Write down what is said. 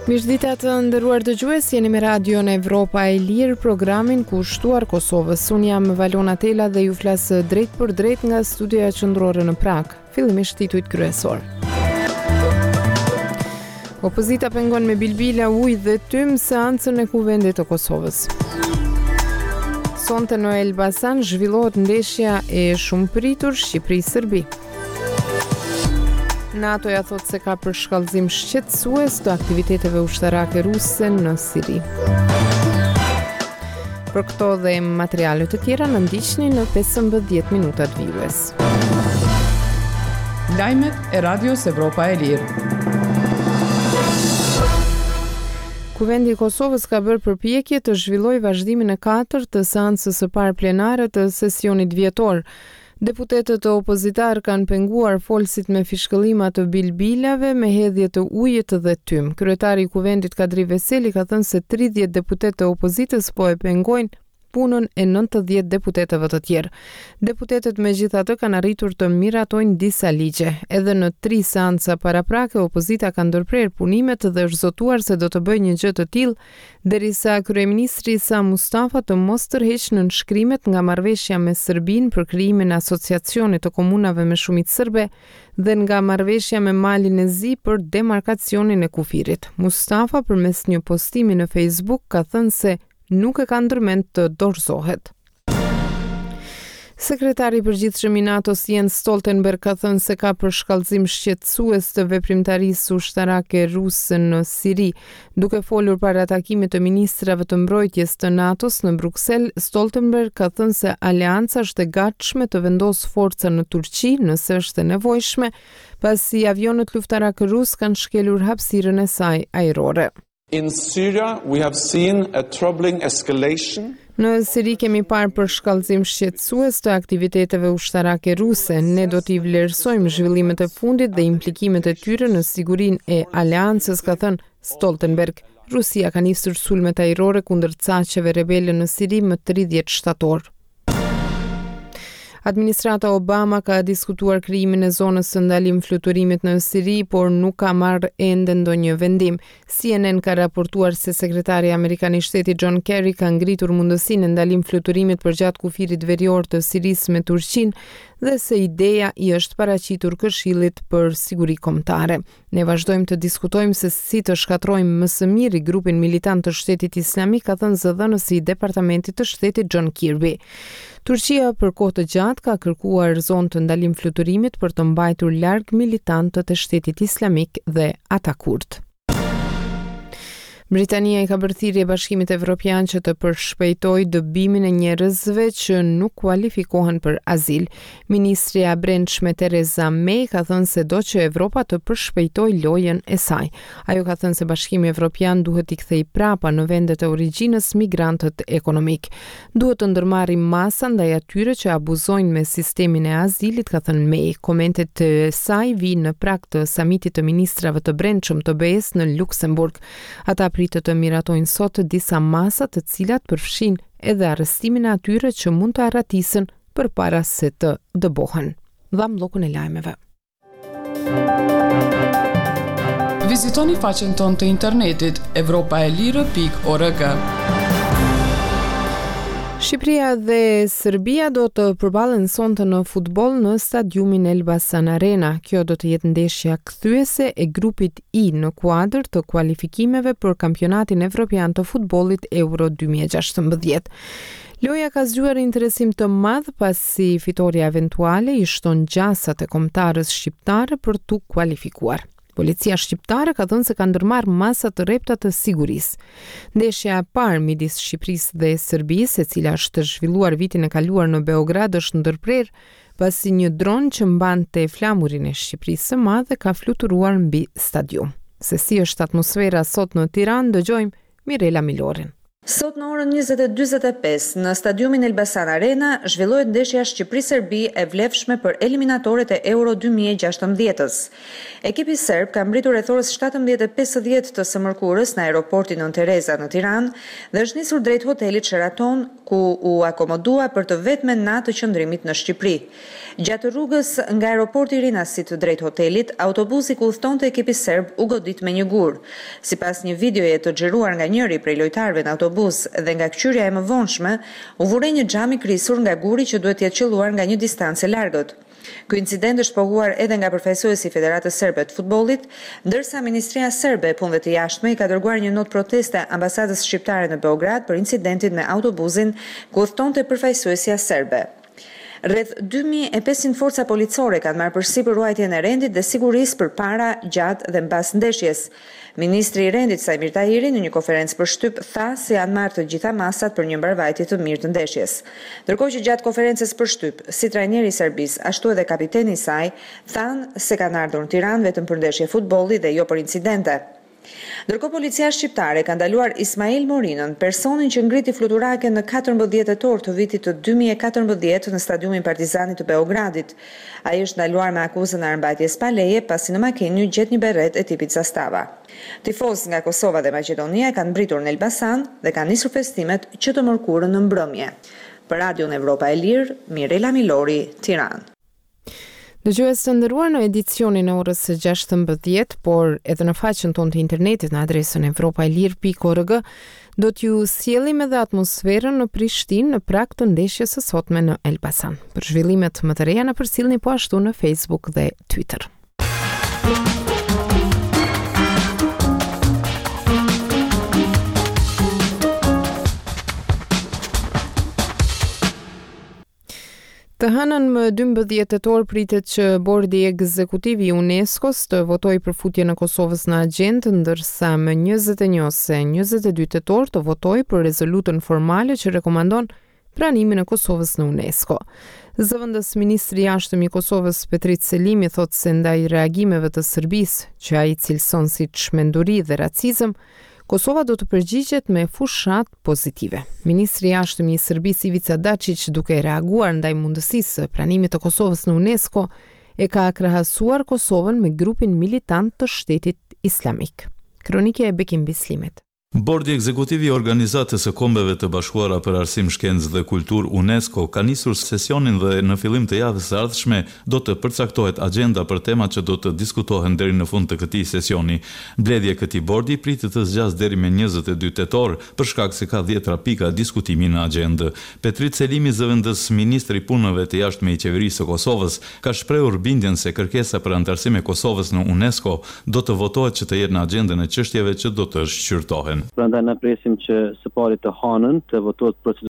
Mirëdita të nderuar dëgjues, jeni me Radion Evropa e Lirë, programin kushtuar Kosovës. Unë jam Valona Tela dhe ju flas drejtpërdrejt nga studioja qendrore në Pragë. Fillimisht titujt kryesorë. Opozita pengon me bilbila, ujë dhe tym seancën e Kuvendit të Kosovës. Sonte në Elbasan zhvillohet ndeshja e shumëpritur Shqipëri-Serbi. NATO-ja thotë se ka përshkallëzim shqetësues të aktiviteteve ushtarake ruse në Siri. Për këto dhe materiale të tjera na ndiqni në 15 minutat vijues. Lajmet e Radios Evropa e Lirë. Kuvendi i Kosovës ka bërë përpjekje të zhvillojë vazhdimin e katërt të seancës së parë plenare të sesionit vjetor. Deputetët opozitarë kanë penguar folësit me fishkëllima të bilbilave me hedhje të ujit dhe tym. Kryetari i Kuvendit Kadri Veseli ka thënë se 30 deputetë të opozitës po e pengojnë punën e 90 deputetëve të tjerë. Deputetët megjithatë kanë arritur të miratojnë disa ligje. Edhe në tri seanca paraprake opozita ka ndërprerë punimet dhe është zotuar se do të bëjë një gjë të tillë Derisa kryeministri Isa Mustafa të mos tërheqë nënshkrimet nga marrëveshja me Serbinë për krijimin e Asociacionit të Komunave me shumicë serbe dhe nga marrëveshja me Malin e Zi për demarkacionin e kufirit. Mustafa përmes një postimi në Facebook ka thënë se nuk e ka ndërmend të dorëzohet. Sekretari i Përgjithshëm i NATO-s Jens Stoltenberg ka thënë se ka përshkallëzim shqetësues të veprimtarisë ushtarake ruse në Siri. Duke folur para takimit të ministrave të mbrojtjes të NATO-s në Bruksel, Stoltenberg ka thënë se aleanca është e gatshme të vendosë forca në Turqi nëse është e nevojshme, pasi avionët luftarakë rusë kanë shkelur hapësirën e saj ajrore. In Syria we have seen a troubling escalation. Në Siri kemi parë përshkallëzim shqetësues të aktiviteteve ushtarake ruse. Ne do t'i vlerësojmë zhvillimet e fundit dhe implikimet e tyre në sigurinë e aleancës, ka thënë Stoltenberg. Rusia ka nisur sulmet ajrore kundër caqeve rebele në Siri më 30 shtator. Administrata Obama ka diskutuar krijimin e zonës së ndalim fluturimit në Siri, por nuk ka marrë ende ndonjë vendim. CNN ka raportuar se sekretari amerikan i shtetit John Kerry ka ngritur mundësinë e ndalim fluturimit përgjatë kufirit verior të Sirisë me Turqinë dhe se ideja i është paraqitur Këshillit për Siguri Kombëtare. Ne vazhdojmë të diskutojmë se si të shkatërrojmë më së miri grupin militant të Shtetit Islamik, ka thënë zëdhënësi i Departamentit të Shtetit John Kirby. Turqia për kohë të gjatë ka kërkuar zonë të ndalim fluturimit për të mbajtur larg militantët e Shtetit Islamik dhe ata kurdë. Britania i ka bërë thirrje Bashkimit Evropian që të përshpejtojë dëbimin e njerëzve që nuk kualifikohen për azil. Ministrja e Brendshme Theresa May ka thënë se do që Evropa të përshpejtojë lojën e saj. Ajo ka thënë se Bashkimi Evropian duhet t'i kthejë prapa në vendet e origjinës migrantët ekonomikë. Duhet të ndërmarrim masa ndaj atyre që abuzojnë me sistemin e azilit, ka thënë May. Komentet e saj vijnë në prag të samitit të ministrave të Brendshëm të BE-së në Luksemburg. Ata pritet të miratojnë sot disa masa të cilat përfshijnë edhe arrestimin e atyre që mund të arratisen përpara se të dëbohen. Dhamë bllokun e lajmeve. Vizitoni faqen tonë të internetit evropaelire.org. Shqipëria dhe Serbia do të përballen sonte në futboll në stadiumin Elbasan Arena. Kjo do të jetë ndeshja kthyese e grupit I në kuadër të kualifikimeve për Kampionatin Evropian të Futbollit Euro 2016. Loja ka zgjuar interesim të madh pasi fitorja eventuale i shton gjasat e kombëtares shqiptare për t'u kualifikuar. Policia shqiptare ka thënë se ka ndërmarrë masa të rrepta të sigurisë. Ndeshja e parë midis Shqipërisë dhe Serbisë, e cila është zhvilluar vitin e kaluar në Beograd, është ndërprerë pasi një dron që mbante flamurin e Shqipërisë së Madhe ka fluturuar mbi stadium. Se si është atmosfera sot në Tiranë, dëgjojmë Mirela Milorin. Sot në orën 20:45 në stadiumin Elbasan Arena zhvillohet ndeshja Shqipëri-Serbi e vlefshme për eliminatoret e Euro 2016-ës. Ekipi serb ka mbërritur rreth orës 17:50 të së mërkurës në aeroportin Nënë Tereza në Tiranë dhe është nisur drejt hotelit Sheraton, ku u akomodua për të vetmen natë të qëndrimit në Shqipëri. Gjatë rrugës nga aeroporti i Rinasit drejt hotelit, autobusi ku udhëtonte ekipi serb u godit me një gur. Sipas një videoje të xhiruar nga njëri prej lojtarëve në autobus dhe nga këqyrja e mëvonshme, u vu re një xham i krisur nga guri që duhet të jetë qëlluar nga një distancë e largët. Ky incident është pohuar edhe nga përfaqësuesi i Federatës Serbe të Futbollit, ndërsa Ministria Serbe e Punëve të Jashtme i ka dërguar një notë proteste ambasadës shqiptare në Beograd për incidentin me autobusin ku udhëtonte përfaqësuesja serbe. Rreth 2500 forca policore kanë marrë përsipër ruajtjen e rendit dhe sigurisë përpara, gjatë dhe mbas ndeshjes. Ministri i Rendit Saimir Tahiri në një konferencë për shtyp tha se janë marrë të gjitha masat për një mbarëvajtje të mirë të ndeshjes. Ndërkohë që gjatë konferencës për shtyp, si trajneri i Serbisë, ashtu edhe kapiteni i saj, thanë se kanë ardhur në Tiranë vetëm për ndeshje futbolli dhe jo për incidente. Ndërkohë policia shqiptare ka ndaluar Ismail Morinën, personin që ngriti fluturaken në 14 tetor të vitit të 2014 në stadiumin Partizani të Beogradit. Ai është ndaluar me akuzën e armbajtjes pa leje, pasi në makinë iu gjet një berretë e tipit Zastava. Tifozë nga Kosova dhe Maqedonia kanë mbërritur në Elbasan dhe kanë nisur festimet që të mërkurën në mbrëmje. Për Radion Evropa e Lirë, Mirela Milori, Tiranë. Dëgjues të nderuar në edicionin e orës së 16, por edhe në faqen tonë të internetit në adresën evropaelire.org, do t'ju sjellim edhe atmosferën në Prishtinë në prag të ndeshjes së sotme në Elbasan. Për zhvillimet më të reja na përcillni po ashtu në Facebook dhe Twitter. Të hënën më 12 tetor pritet që Bordi Ekzekutiv i UNESCO-s të votojë për futjen e Kosovës në agjendë, ndërsa më 21 ose 22 tetor të votojë për rezolutën formale që rekomandon pranimin e Kosovës në UNESCO. Zëvendës ministri i Jashtëm i Kosovës Petrit Selimi thotë se ndaj reagimeve të Serbisë, që ai cilëson si çmenduri dhe racizëm, Kosova do të përgjigjet me fushatë pozitive. Ministri i Jashtëm i Serbisë Ivica Daçiq duke reaguar ndaj mundësisë së pranimit të Kosovës në UNESCO, e ka krahasuar Kosovën me grupin militant të Shtetit Islamik. Kronikë e Bekim Bislimit. Bordi Ekzekutiv i Organizatës së Kombeve të Bashkuara për Arsim, Shkencë dhe Kulturë, UNESCO, ka nisur sesionin dhe në fillim të javës së ardhshme do të përcaktohet agjenda për temat që do të diskutohen deri në fund të këtij sesioni. Mbledhja e këtij bordi pritet të zgjasë deri me 22 tetor, për shkak se ka dhjetra pika diskutimi në agjendë. Petrit Selimi, zëvendësministër i Punëve të Jashtme i Qeverisë së Kosovës, ka shprehur bindjen se kërkesa për anëtarësim e Kosovës në UNESCO do të votohet që të jetë në agjendën e çështjeve që do të shqyrtohen. Prandaj ne presim që së pari të hanën të votohet procedura.